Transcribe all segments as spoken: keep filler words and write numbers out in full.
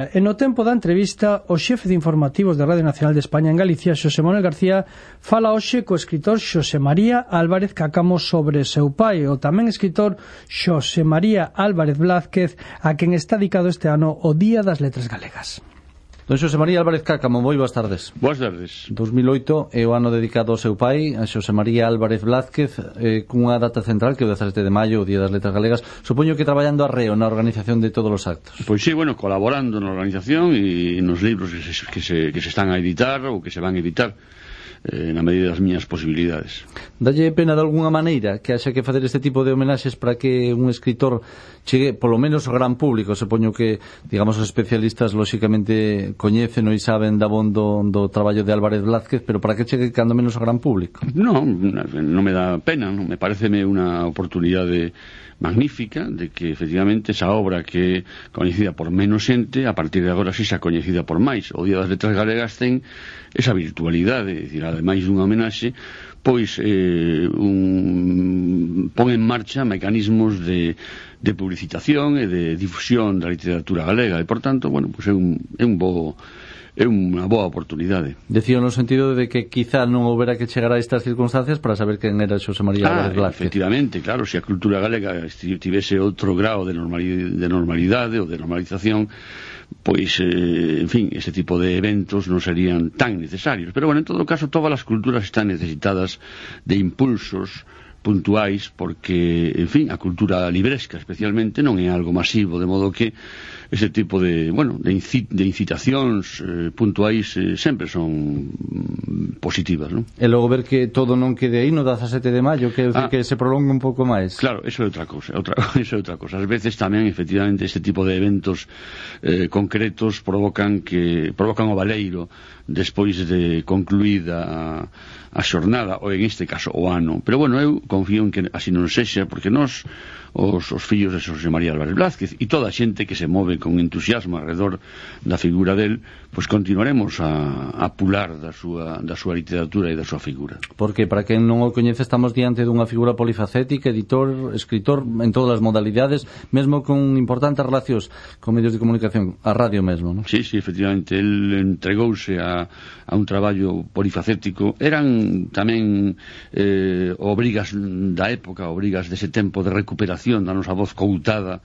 E no tempo da entrevista, o xefe de informativos de Radio Nacional de España en Galicia, Xosé Manuel García, fala hoxe co escritor Xosé María Álvarez Cáccamo sobre seu pai, o tamén escritor Xosé María Álvarez Blázquez, a quen está dedicado este ano o Día das Letras Galegas. Don Xosé María Álvarez Cáccamo, moi boas tardes. Boas tardes. dos mil oito é o ano dedicado ao seu pai, a Xosé María Álvarez Blázquez, eh, cunha data central que é o dezasete de maio, o Día das Letras Galegas. Supoño que traballando arreo na organización de todos os actos. Pois sí, bueno, colaborando na organización e nos libros que se, que se, que se están a editar ou que se van a editar, eh, na medida das miñas posibilidades. Dalle pena de alguna maneira que haxa que facer este tipo de homenaxes para que un escritor chegue polo menos ao gran público? Supoño que, digamos, os especialistas lóxicamente coñecen e saben da bon do, do traballo de Álvarez Blázquez, pero para que chegue cando menos ao gran público? Non, non me dá pena, non? Me pareceme unha oportunidade magnífica de que efectivamente esa obra que é coñecida por menos xente, a partir de agora si xa coñecida por máis. O Día das Letras Galegas ten esa virtualidade, é dicir, ademais dunha homenaxe, pois eh, un, pon en marcha mecanismos de, de publicitación e de difusión da literatura galega e, por tanto, bueno, pois é un, é un bo é unha boa oportunidade. Decía no sentido de que quizá non houbera que chegar a estas circunstancias para saber quen era Xosé María Álvarez ah, Blázquez. Efectivamente, claro, se a cultura galega tivese outro grau de normalidade, de normalidade ou de normalización, pois, eh, en fin, ese tipo de eventos non serían tan necesarios. Pero, bueno, en todo caso, todas as culturas están necesitadas de impulsos puntuais porque, en fin, a cultura libresca especialmente non é algo masivo, de modo que ese tipo de, bueno, de, incit de incitacións eh, puntuais eh, sempre son mm, positivas, non? E logo ver que todo non quede aí no dezasete de maio, que, ah, que se prolongue un pouco máis. Claro, eso é outra cousa, outra, eso é outra cousa. Ás veces tamén, efectivamente, este tipo de eventos eh, concretos provocan que provocan o baleiro despois de concluída a, a xornada, ou en este caso o ano. Pero, bueno, eu confío en que así non sexa, porque nós, os, os fillos de Xosé María Álvarez Blázquez e toda a xente que se move con entusiasmo alrededor da figura del, pois continuaremos a, a pular da súa, da súa literatura e da súa figura. Porque, para quen non o coñece, estamos diante dunha figura polifacética, editor, escritor, en todas as modalidades, mesmo con importantes relacións con medios de comunicación, a radio mesmo, non? Sí, sí, efectivamente, el entregouse a, a un traballo polifacético. Eran tamén eh, obrigas da época, obrigas dese tempo de recuperación da nosa voz coutada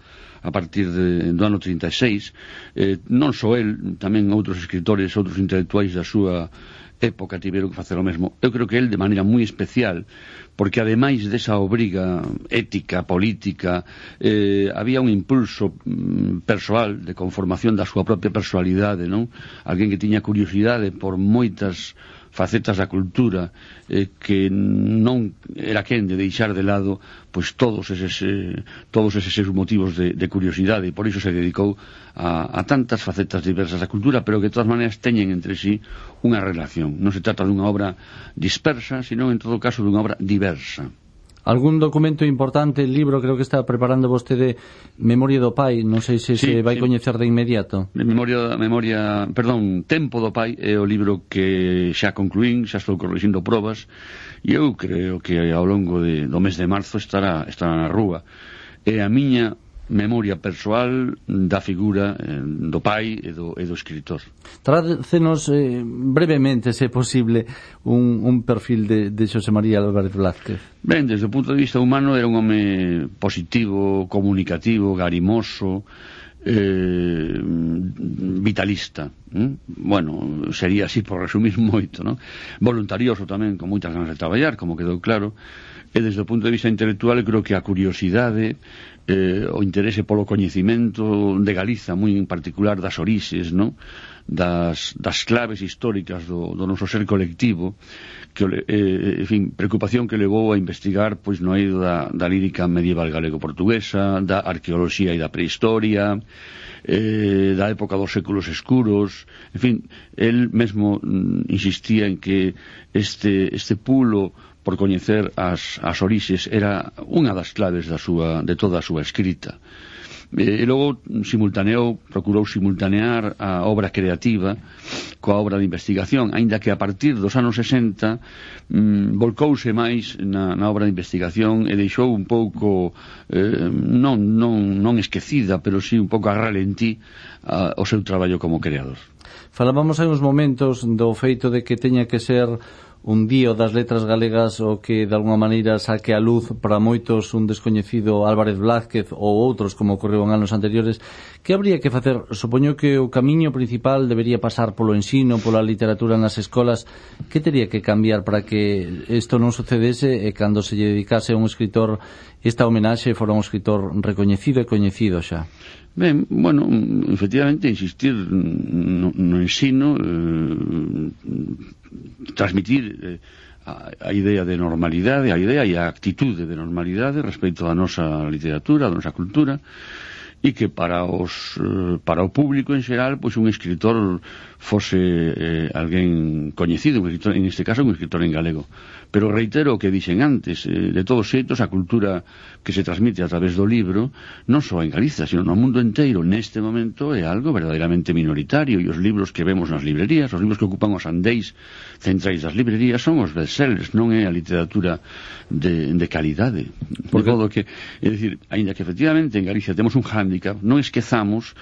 a partir de, do ano trinta e seis, eh, non só el, tamén outros escritores, outros intelectuais da súa época tiveron que facer o mesmo. Eu creo que el de maneira moi especial, porque ademais desa obriga ética, política, eh, había un impulso mm, persoal de conformación da súa propia personalidade, non? Alguén que tiña curiosidade por moitas facetas da cultura, eh, que non era quen de deixar de lado pois todos eses eh, todos eses seus motivos de, de curiosidade, e por iso se dedicou a, a tantas facetas diversas da cultura, pero que de todas maneiras teñen entre sí unha relación. Non se trata dunha obra dispersa, sino en todo caso dunha obra diversa. Algún documento importante, libro, creo que está preparando vostede, Memoria do Pai, non sei se sí, se vai sí. coñecer de inmediato. Memoria, memoria, perdón, Tempo do Pai é o libro que xa concluín, xa estou corrixindo probas, e eu creo que ao longo de, do mes de marzo estará, estará na rúa. É a miña memoria persoal da figura eh, do pai e do, e do escritor. Trácenos eh, brevemente, se é posible, un, un perfil de, de Xosé María Álvarez Blázquez. Ben, desde o punto de vista humano era un home positivo, comunicativo, garimoso, eh, vitalista. ¿Mm? Bueno, sería así por resumir moito, ¿no? Voluntarioso tamén, con moitas ganas de traballar, como quedou claro. E desde o punto de vista intelectual, creo que a curiosidade, eh, o interese polo coñecimento de Galiza, moi en particular das orixes, non? Das, das claves históricas do, do noso ser colectivo, que, eh, en fin, preocupación que levou a investigar pois no eido da, da lírica medieval galego-portuguesa, da arqueoloxía e da prehistoria, eh, da época dos séculos escuros. En fin, el mesmo mm, insistía en que este, este pulo por coñecer as, as orixes era unha das claves da súa, de toda a súa escrita. E logo simultaneou, procurou simultanear a obra creativa coa obra de investigación, aínda que a partir dos anos sesenta mm, volcouse máis na, na obra de investigación e deixou un pouco eh, non, non, non esquecida, pero sí un pouco a ralentí a, o seu traballo como creador. Falábamos hai uns momentos do feito de que teña que ser un dío das letras galegas o que de alguna maneira saque a luz para moitos un descoñecido Álvarez Blázquez ou outros como ocorreu en anos anteriores. Que habría que facer? Supoño que o camiño principal debería pasar polo ensino, pola literatura nas escolas. Que teria que cambiar para que isto non sucedese e cando se lle dedicase a un escritor esta homenaxe fora un escritor recoñecido e coñecido xa? Ben, bueno, efectivamente insistir no, no ensino, eh, transmitir eh, a, a idea de normalidade, a idea e a actitude de normalidade respecto da nosa literatura, da nosa cultura, e que para os eh, para o público en xeral, pois un escritor fose eh, alguén coñecido, un escritor, en este caso un escritor en galego. Pero reitero o que dixen antes, eh, de todos xeitos a cultura que se transmite a través do libro non só en Galiza, sino no mundo inteiro neste momento é algo verdadeiramente minoritario, e os libros que vemos nas librerías, os libros que ocupan os andéis centrais das librerías son os bestsellers, non é a literatura de, de calidade. Por todo que, é dicir, aínda que efectivamente en Galicia temos un hándicap, non esquezamos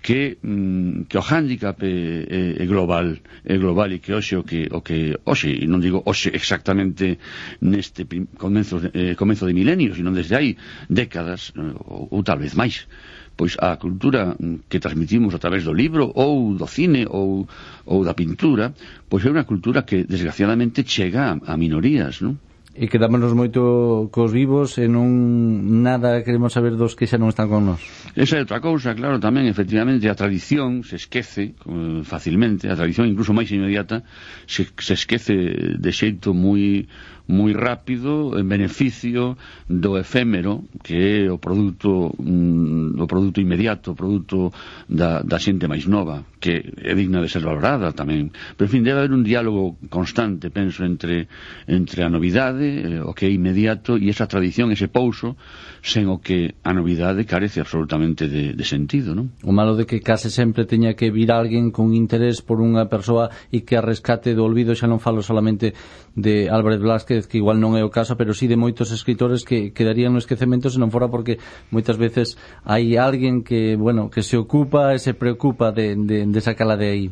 que, mm, que o hándicap é, é, é global, é global, e que hoxe o que, o que hoxe, e non digo hoxe exactamente neste comenzo, eh, comenzo de milenio, sino desde hai décadas, ou, ou tal vez máis, pois a cultura que transmitimos a través do libro ou do cine ou, ou da pintura, pois é unha cultura que desgraciadamente chega a, a minorías, non? E quedámonos moito cos vivos e non nada queremos saber dos que xa non están con nós. Esa é outra cousa, claro, tamén efectivamente a tradición se esquece eh, facilmente, a tradición incluso máis inmediata se, se esquece de xeito moi moi rápido en beneficio do efémero, que é o produto mm, o produto inmediato, o produto da, da xente máis nova, que é digna de ser valorada tamén. Pero, en fin, debe haber un diálogo constante, penso, entre, entre a novidade, eh, o que é inmediato, e esa tradición, ese pouso, sen o que a novidade carece absolutamente de, de sentido, non? O malo de que case sempre teña que vir alguén con interés por unha persoa e que a rescate do olvido. Xa non falo solamente de Álvarez Blázquez, que igual non é o caso, pero sí de moitos escritores que quedarían no esquecemento se non fora porque moitas veces hai alguén que, bueno, que se ocupa e se preocupa de, de, de sacala de aí.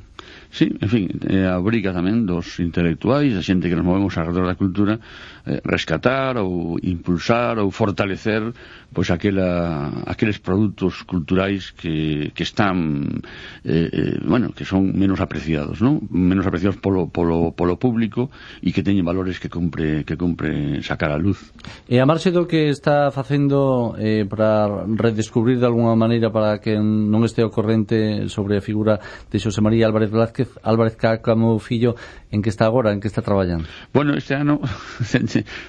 Sí, en fin, é a obriga tamén dos intelectuais, a xente que nos movemos alrededor da cultura, eh, rescatar ou impulsar ou fortalecer pois aquela, aqueles produtos culturais que, que están eh, eh, bueno, que son menos apreciados, non? Menos apreciados polo, polo, polo público e que teñen valores que compre, que compre sacar a luz. E a marxe do que está facendo eh, para redescubrir de alguna maneira, para que non este ao corrente sobre a figura de Xosé María Álvarez Blázquez, Álvarez Cáccamo Fillo, en que está agora, en que está traballando? Bueno, este ano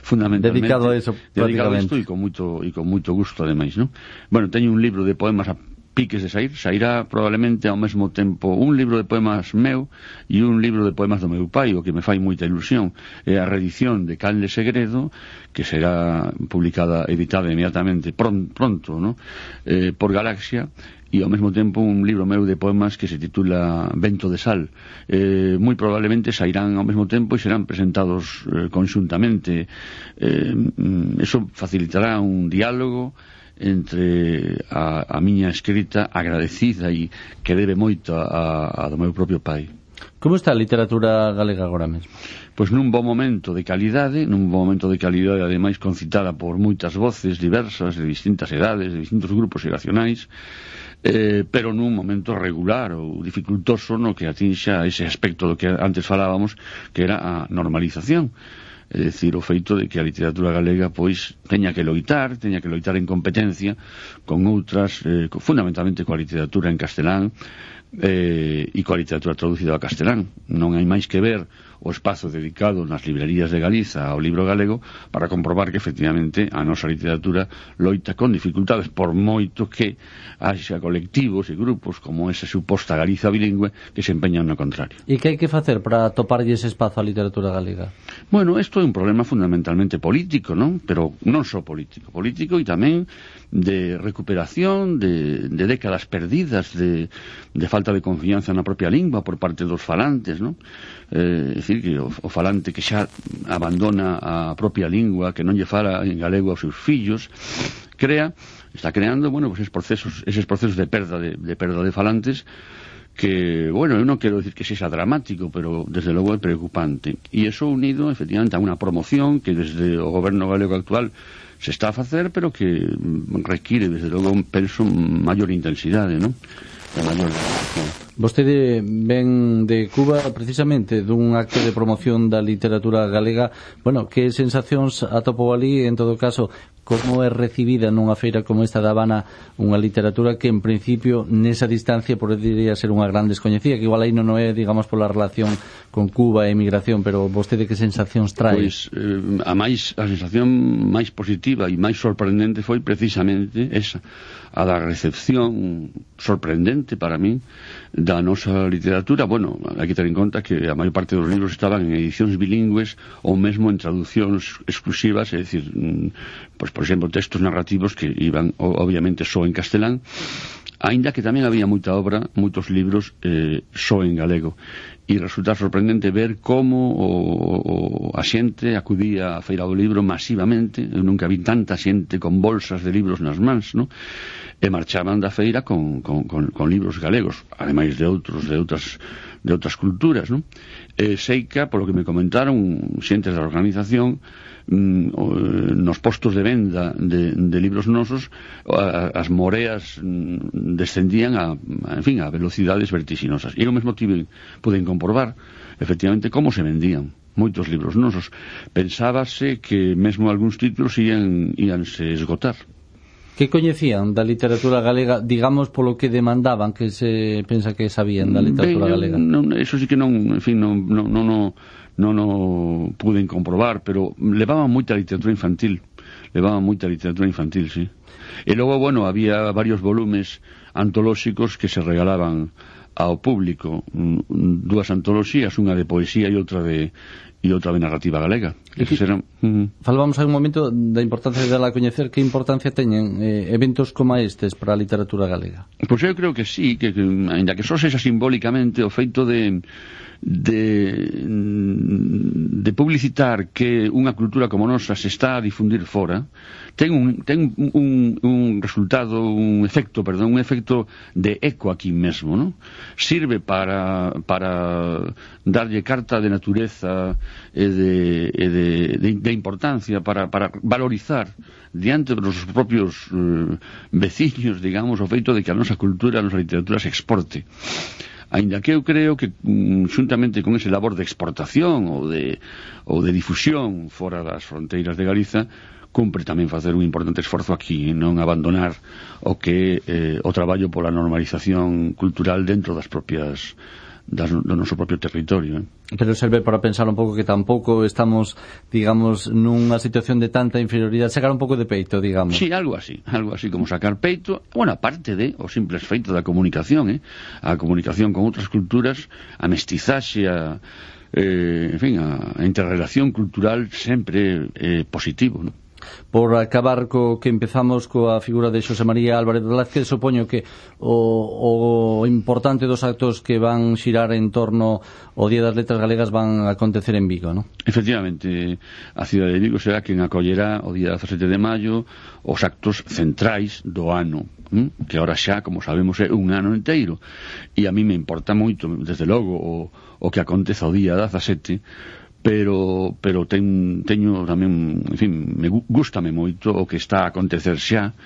fundamentalmente dedicado a eso, dedicado a isto, e con moito e con moito gusto ademais, non? Bueno, teño un libro de poemas a piques de sair, sairá probablemente ao mesmo tempo un libro de poemas meu e un libro de poemas do meu pai, o que me fai moita ilusión. É a reedición de Can de Segredo, que será publicada, editada inmediatamente pronto, pronto ¿no? eh, por Galaxia, e ao mesmo tempo un libro meu de poemas que se titula Vento de Sal. Eh, moi probablemente sairán ao mesmo tempo e serán presentados eh, conxuntamente. Eh, eso facilitará un diálogo entre a, a miña escrita agradecida e que debe moito a, a do meu propio pai. Como está a literatura galega agora mesmo? Pois nun bom momento de calidade, nun bom momento de calidade ademais concitada por moitas voces diversas, de distintas edades, de distintos grupos xeracionais, eh, pero nun momento regular ou dificultoso no que atinxa ese aspecto do que antes falábamos, que era a normalización. É dicir, o feito de que a literatura galega pois teña que loitar, teña que loitar en competencia con outras, eh, fundamentalmente coa literatura en castelán eh, e coa literatura traducida ao castelán. Non hai máis que ver o espazo dedicado nas librerías de Galiza ao libro galego para comprobar que efectivamente a nosa literatura loita con dificultades, por moito que haxa colectivos e grupos como esa suposta Galiza bilingüe que se empeñan no contrario. E que hai que facer para atoparlle ese espazo á literatura galega? Bueno, isto é un problema fundamentalmente político, non? Pero non só político, político e tamén de recuperación de, de décadas perdidas, de, de falta de confianza na propia lingua por parte dos falantes, non? Eh, é dicir, que o, o falante que xa abandona a propia lingua, que non lle fala en galego aos seus fillos, crea, está creando, bueno, pues eses procesos, eses procesos de perda de, de perda de falantes que, bueno, eu non quero decir que sexa dramático, pero desde logo é preocupante. E iso unido, efectivamente, a unha promoción que desde o goberno galego actual se está a facer, pero que require, desde logo, un penso maior intensidade, non? A maior dedicación. Vostede ven de Cuba precisamente dun acto de promoción da literatura galega. Bueno, que sensacións atopou ali, en todo caso, como é recibida nunha feira como esta da Habana unha literatura que en principio nesa distancia podería ser unha gran descoñecida, que igual aí non é, digamos, pola relación con Cuba e emigración, pero vostede que sensacións trae? Pois eh, a máis a sensación máis positiva e máis sorprendente foi precisamente esa, a da recepción sorprendente para min da nosa literatura. Bueno, hai que ter en conta que a maior parte dos libros estaban en edicións bilingües ou mesmo en traduccións exclusivas, é dicir, pois, por exemplo, textos narrativos que iban obviamente só en castelán, aínda que tamén había moita obra, moitos libros eh, só en galego. E resulta sorprendente ver como o, o, a xente acudía á Feira do Libro masivamente. Eu nunca vi tanta xente con bolsas de libros nas mans, non? E marchaban da feira con, con, con, con libros galegos, ademais de outros de outras de outras culturas, non? E seica, polo que me comentaron xentes da organización, nos postos de venda de, de libros nosos, as moreas descendían a, en fin, a velocidades vertixinosas. E eu mesmo tive, pude comprobar efectivamente como se vendían moitos libros nosos. Pensábase que mesmo algúns títulos ian, ianse esgotar. Que coñecían da literatura galega, digamos, polo que demandaban, que se pensa que sabían da literatura ben, galega? Non, eso sí que non, en fin, non, non, non, non non o pude comprobar, pero levaban moita literatura infantil, levaban moita literatura infantil, sí. E logo, bueno, había varios volumes antolóxicos que se regalaban ao público, dúas antoloxías, unha de poesía e outra de e outra de narrativa galega. Que, eran, uh, Falábamos hai un momento da importancia de la coñecer. Que importancia teñen eh, eventos como estes para a literatura galega? Pois eu creo que sí, que, que ainda que só sexa simbólicamente o feito de de de publicitar que unha cultura como nosa se está a difundir fora, ten un, ten un, un resultado, un efecto, perdón, un efecto de eco aquí mesmo, ¿no? Sirve para para darlle carta de natureza e de, e de, de, de importancia para, para valorizar diante dos propios eh, veciños, digamos, o feito de que a nosa cultura, a nosa literatura se exporte. Ainda que eu creo que xuntamente con ese labor de exportación ou de, ou de difusión fora das fronteiras de Galiza, cumpre tamén facer un importante esforzo aquí, non abandonar o que eh, o traballo pola normalización cultural dentro das propias das, do noso propio territorio, eh? Pero serve para pensar un pouco que tampouco estamos, digamos, nunha situación de tanta inferioridade, sacar un pouco de peito, digamos. Sí, algo así, algo así como sacar peito, bueno, aparte de o simples feito da comunicación, eh? A comunicación con outras culturas, a mestizaxe, a, eh, en fin, a, a interrelación cultural sempre é eh, positivo, non? Por acabar co que empezamos coa figura de Xosé María Álvarez Blázquez, supoño que o, o importante dos actos que van xirar en torno ao Día das Letras Galegas van a acontecer en Vigo, non? Efectivamente, a cidade de Vigo será quen acollerá o día dezasete de maio os actos centrais do ano, ¿m? Que ahora xa, como sabemos, é un ano inteiro, e a mí me importa moito, desde logo, o, o que aconteza o día dezasete, pero pero ten, teño tamén, en fin, me gústame moito o que está a acontecer xa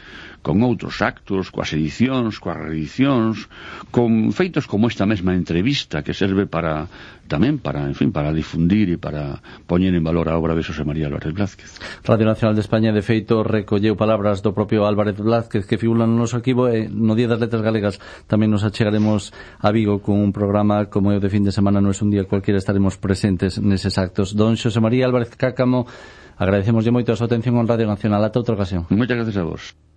con outros actos, coas edicións, coas reedicións, con feitos como esta mesma entrevista que serve para tamén para, en fin, para difundir e para poñer en valor a obra de Xosé María Álvarez Blázquez. Radio Nacional de España, de feito, recolleu palabras do propio Álvarez Blázquez que figuran no noso arquivo, e no Día das Letras Galegas tamén nos achegaremos a Vigo con un programa como é o de fin de semana, non é un día cualquiera, estaremos presentes neses actos. Don Xosé María Álvarez Cáccamo, agradecemoslle moito a súa atención en Radio Nacional. Ata outra ocasión. Moitas gracias a vos.